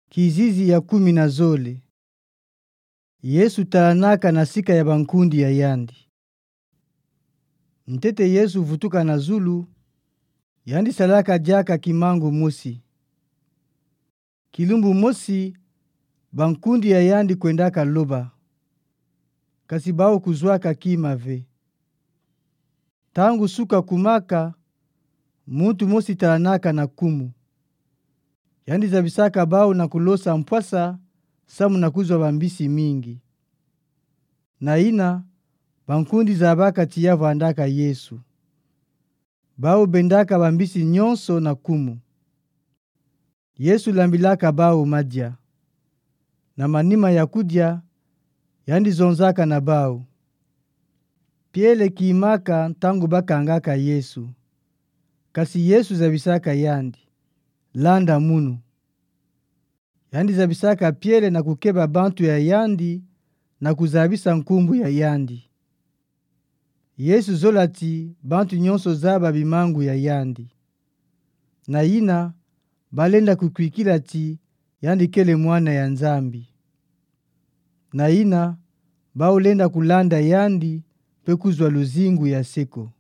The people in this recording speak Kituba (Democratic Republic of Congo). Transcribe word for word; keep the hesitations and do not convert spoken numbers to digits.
Kizizi ya kumi na zole. Yesu talanaka na sika ya bankundi ya yandi. Ntete Yesu vutuka na zulu, yandi salaka diaka kimangu mosi. Kilumbu mosi, bankundi ya yandi kwendaka loba. Kasi bawu kuzwaka kima ve. Ntangu suka kumaka, muntu mosi talanaka na kumu. Yandi zabisaka bawu na kulosa mpwasa samu na kuzwa bambisi mingi. Na yina, bankundi zabaka ti ya vwandaka Yesu. Bawu bendaka bambisi nyonso na kumu. Yesu lambilaka bawu madia. Na manima ya kudia, yandi zonzaka na bawu. Piele kimaka ntangu bakangaka Yesu. Kasi Yesu zabisaka yandi: Landa munu. Yandi zabisaka piele na kukeba bantu ya yandi, na kuzabisa nkumbu ya yandi. Yesu zola ti bantu nyonso zaba bimangu ya yandi. Na yina, balenda kukwikila ti yandi kele Mwana ya Nzambi. Na yina, bawu lenda kulanda yandi, mpe kuzwa luzingu ya seko.